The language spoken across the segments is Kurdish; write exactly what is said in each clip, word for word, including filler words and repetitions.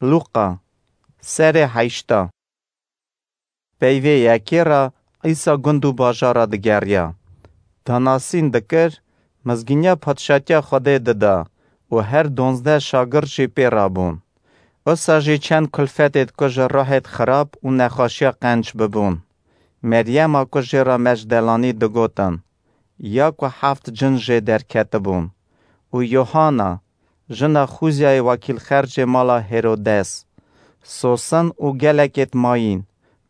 Lûqa, serê heşta. Peyvê yekê re Îsa gund û bajara digeriya. Danasîn dikir, mizgîniya padşatiya Xwedê dida û her donzdeh şagird jî pê re bûn. Wisa jî çend kulfetêd ku ji ruhêd xirab û nexweşiya qenc bibûn, Meryema ku jê re Mecdelanî digotin, ya ku heft cin jê derketibûn, û Yohana, jina Xûzyayê wekîlxercê mala Hêrodes, Sosin û gelekêd mayîn,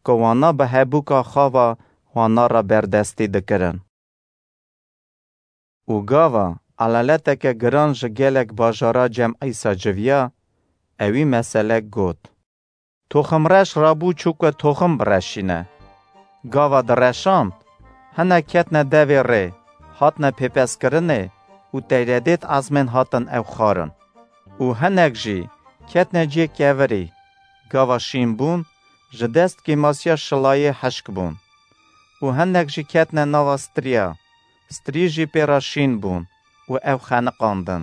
ku wana bi hebûka xwe ve wana re berdestî dikirin. Û gava elaleteke giran ji gelek bajara cem Îsa civiya, ewî meselek got. Toximreş rabû çû ku toxim bireşîne. Gava direşand, hinek ketne devê rê, hatne pêpeskirinê û teyredêd ezmên hatin ew xwarin. Û hinek jî ketne cihê kevirî, gava şîn bûn, ji dest kêmasiya şilayê hişk bûn. Û hinek jî ketne nava striya, strî jî pê re şîn bûn û ew xeniqandin.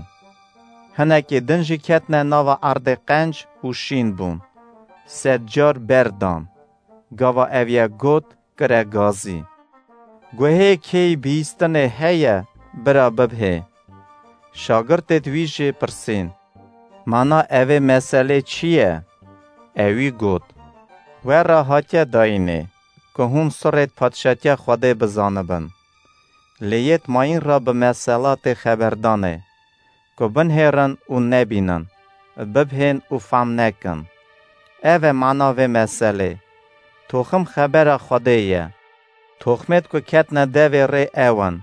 Hinekê din jî ketne nava erdê qenc û şîn bûn. Sed car ber dan. Gava ev yek got, kire gazî. Guhê kêy bihîstinê heye, bira bibhê. Şagirtêd wî jê pirsîn, mana evê meselê çi ye? Ewî got, we re hatiye dayînê, ku hûn sirêd padşatiya Xwedê bizanibin. Lê yêd mayîn re bi mesela tê xeberdanê, ku binhêrin û nebînin, bibhên û fam nekin. Ev e mana vê meselê. Toxim xebera Xwedê ye. Toxmêd ku ketne devê rê ew in.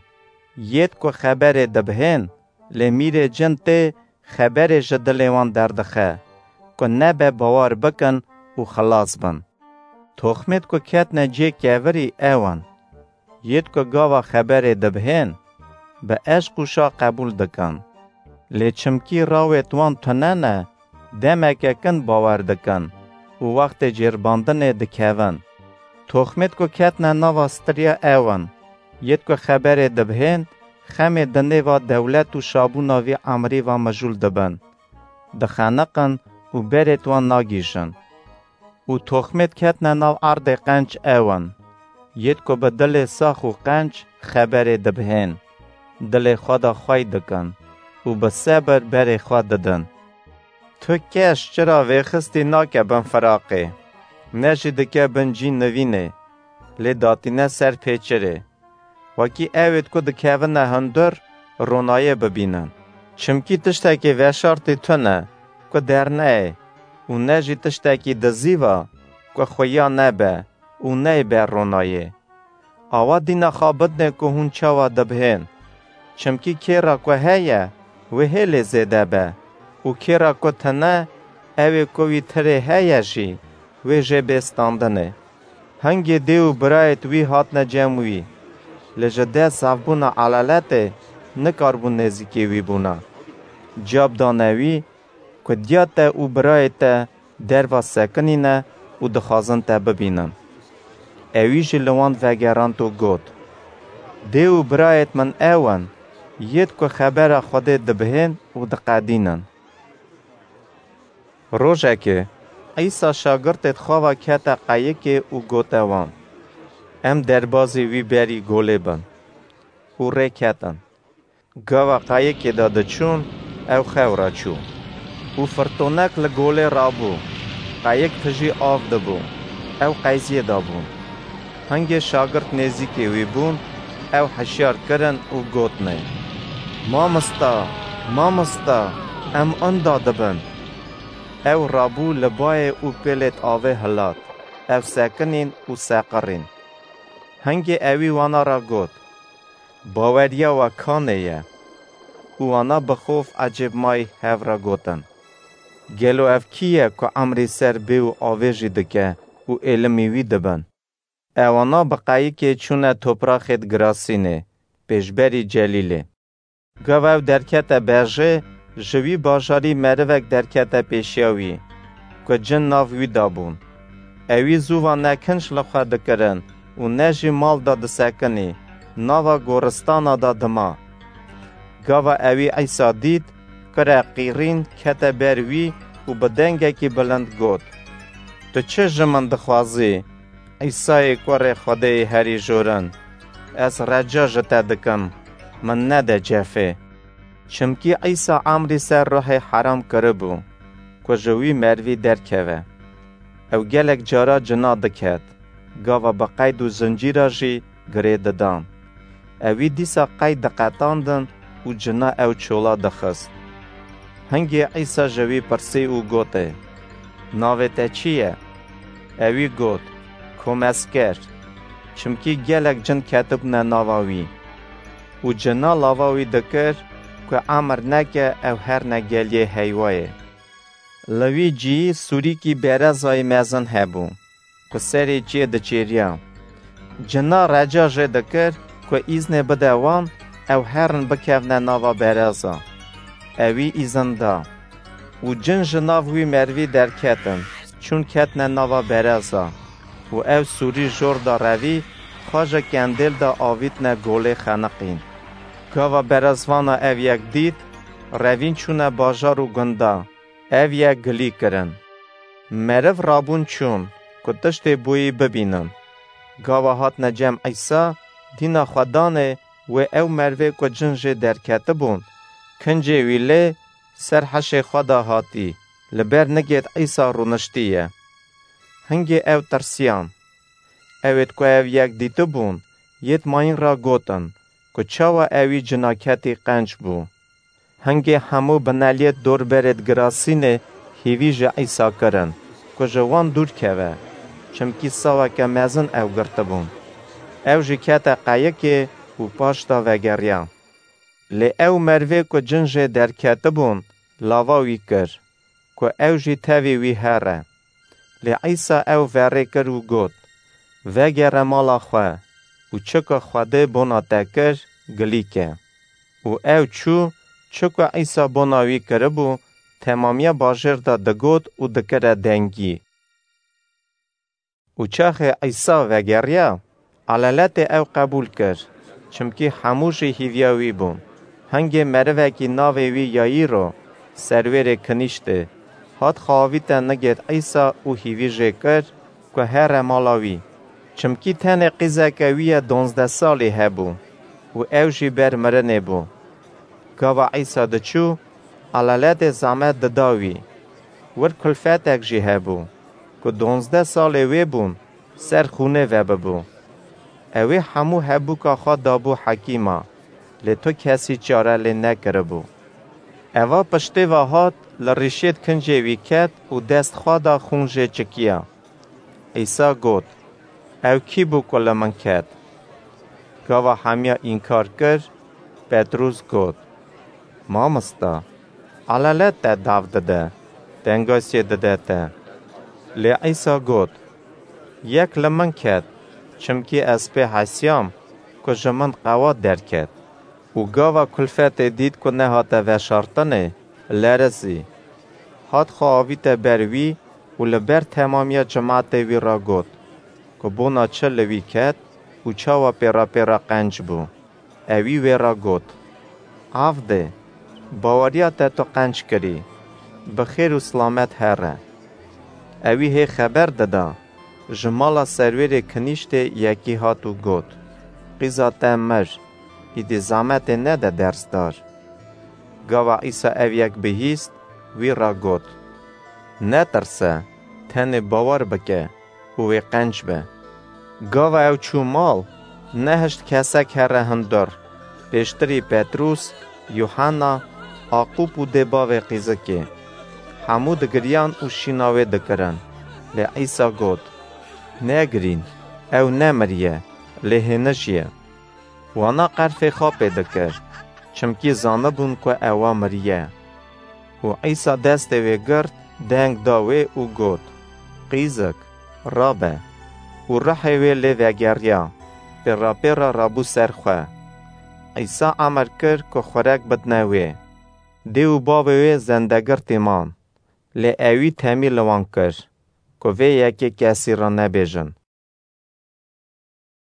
Yêd ku xeberê dibhên, lê mîrê cin tê xeberê ji dilê wan derdixe, ku nebe bawer bikin û xilas bin. Toxmêd ku ketne cê kevirî ew in. Yêd ku gava xeberê dibhên, bi eşq û şa qebûl dikin. Lê çimkî rawêd wan tune ne, demeke kin bawer dikin û wextê cêrbandinê dikevin. Toxmêd ku ketne nava striya ew in. Yêd ku xeberê dibhên, xemê di nêva dewlet û şabûna vî emrî ve mijûl dibin. Dixeniqin û berêd wan nagihîjin. Û toxmêd ketne nav erdê qenc ew in. Yêd ku bi dilê sax û qenc xeberê dibhên, dilê xwe de xwey dikin û bi sebir berê xwe didin. Tu keş çira vêxistî nake bin firaqê, ne jî dike bin cî nivînê, lê datîne ser pêçirê. Wekî ewêd ku dikevine hundir, ronayê bibînin. Çimkî tiştekî veşartî tune, ku derneyê û ne jî tiştekî dizîva, ku xuya nebe û neybe ronayê. Awa dîna xwe bidinê ku hûn çawa dibhên. Çimkî kêra ku heye, wê hêlê zêde be û kêra ku tine, ewê ku wî tirê heye jî, wê jê bê standinê. Hingê dê û birayêd wî hatine cem wî, lê ji dest zafbûna elaletê nikaribûn nêzîkê wî bûna. Cab dane wî ku diya te û birayê te derva sekinîne û dixwazin te bibînin. Ewî jî li wan vegerand û got, dê û birayêd min ew in, yêd ku xebera Xwedê dibihên û diqedînin. Rojekê, Îsa şagirtêd xwe ve kete qeyikê û gote wan, em derbazî wî berî golê bin. Û rê ketin. Gava qeyikê de diçûn, ew xew re çû. Û firtonek li golê rabû, qeyik tijî av dibû, ew qeyziyê de bûn. Hingê şagirt nêzîkê wî bûn, ew hişyar kirin û gotnê, Mamosta, mamosta, em inda dibin. Ew rabû li bayê û pêlêd avê hilat, ew sekinîn û seqirîn. Hingê ewî wana re got, Baweriya we kanê ye? Û wana bi xof ecêbmayî hev re gotin, Gelo ev kî ye ku emrî ser bê û avê jî dike û êlimî wî dibin? Ewana bi qeyikê çûne topraxêd Girasînê, pêşberî Celîlê. Gava ew derkete berjê, ji wî bajarî merivek derkete pêşiya wî, ku cin nav wî de bûn. Ewî zû va ne kinc li xwe dikirin û ne jî mal de disekinî, nava goristana de dima. Gava ewî Îsa dît, kire qîrîn kete ber wî û û bi dengekî bilind got: "Tu çi ji min dixwazî, Îsayê kurê Xwedêyê herî jorin? Ez reca ji te dikim, min nede cefê." Çimkî Îsa emrî ser ruhê heram kiribû, ku ji wî merivî derkeve. Ew gelek cara cina diket, gava bi qeyd û zincîra jî girê didan. Ewî dîsa qeyd diqetandin û cina ew çola dixist. Hingê Îsa ji wî pirsî û gotê: "Navê te çi ye?" Ewî got: "Komesker." Çimkî gelek cin ketibûne nava wî. Û cina lava wî dikir, ku emir neke ew herne geliyê heyvayê. Li wî cî sûrîkî berezayî mezin hebû, ku serê çiyê diçêriya. Cina reca jê dikir, ku îznê bide wan, ew herin bikevne nava bereza. Ewî îzin da. Û cin ji nav wî merivî derketin, çûn ketne nava bereza. Û ew sûrî jor da revî, xwe ji kendêl de avîtne golê xeniqîn. Gava berezvana ev yek dît, revîn çûne bajar û gunda, ev yek gilî kirin. Meriv rabûn çûn, ku tiştê boyî bibînin. Gava hatine cem Îsa, dîna xwe danê wê ew merivê ku cin jê derketibûn, kincê wî lê ser heşê xwe de hatî, li ber nigêt Îsa rûniştî ye. Hingê ew tirsiyan. Ewêt ku ev yek dîtibûn, yêt mayîn re gotin, ku çawa ewî cinaketî qenc bû. Hingê hemû bineliyêt dorberêt girasînê hîvî ji Îsa kirin, ku ji wan dûr keve, çimkî saweke mezin ew girtibûn. Ew jî kete qeyikê û paş de vegeriya. Lê ew merivê ku cin jê derketibûn, lava wî kir, ku ew jî tevî wî here. Lê Îsa ew verê kir û got: "Vegere mala xwe û çi ku Xwedê bona te kir, gilî ke." Û ew çû, çi ku Îsa bona wî kiribû, temamiya bajêr de digot û dikire dengî. Û çaxê Îsa vegeriya, elaletê ew qebûl kir, çimkî hemû jî hîviya wî bûn. Hingê merivekî navê wî Yayîro, serwêrê kinîştê, hat xwe avîte nigêt Îsa û hîvî jê kir, ku here mala wî. Çimkî tenê qîzeke wî ye donzdeh salî hebû û ew jî ber mirinê bû. Gava Îsa diçû, elaletê zehmet dida wî. Wir kulfetek jî hebû, ku donzdeh salê wê bûn, ser xûnê vebibû. Ewê hemû hebûka xwe dabû hekîma, lê tu kesî çare lê nekiribû. Eva piştê ve hat, li rîşêt kincê wî ket û dest xwe da xûn jê çikiya. Îsa got: "Ew kî bû ku li min ket?" Gava hemiya înkar kir, Petrûs got: "Mamosta, elalet te dav dide, tengasiyê dide te." Lê Îsa got: "Yek li min ket, çimkî ez pê hesiyam, ku ji min qewat derket." Û gava kulfetê dît ku nehate veşartinê, lerizî. Hat xwe avîte ber wî û li ber temamiya cimatê wî re got, ku bona çi li wî ket û çawa pêra pêra qenc bû. Ewî wê re got: "Avdê, baweriya te tu qenc kirî, bi xêr û silamet here." Ewî hê xeber dida, ji mala serwêrê kinîştê yekî hat û got: "Qîza te mir, îdî zehmetê nede dersdar." Gava Îsa ev yek bihîst, wî re got: "Netirse, tenê bawer bike û wê qenc be." Gava ew çû mal, nehişt kesek here hundir, pêştirî Petrûs, Yuhanna, Aqûb û dê bavê qîzikê. Hemû digiriyan û şîna wê dikirin. Lê Îsa got: "Negirîn, ew nemiriye, lê hênij ye." Wana qerfê xapê dikir, çimkî zanibûn ku ewa miriye. Û Îsa destê wê girt, deng da wê û got: "Qîzik, rabe." Û ruhê wê lê vegeriya, pêrapêra rabû ser xwe. Îsa emir kir ku xurek bidine wê. Dê û bavê wê zendegirtî man, lê ewî temî li wan kir, ku vê yekê kesî re nebêjin,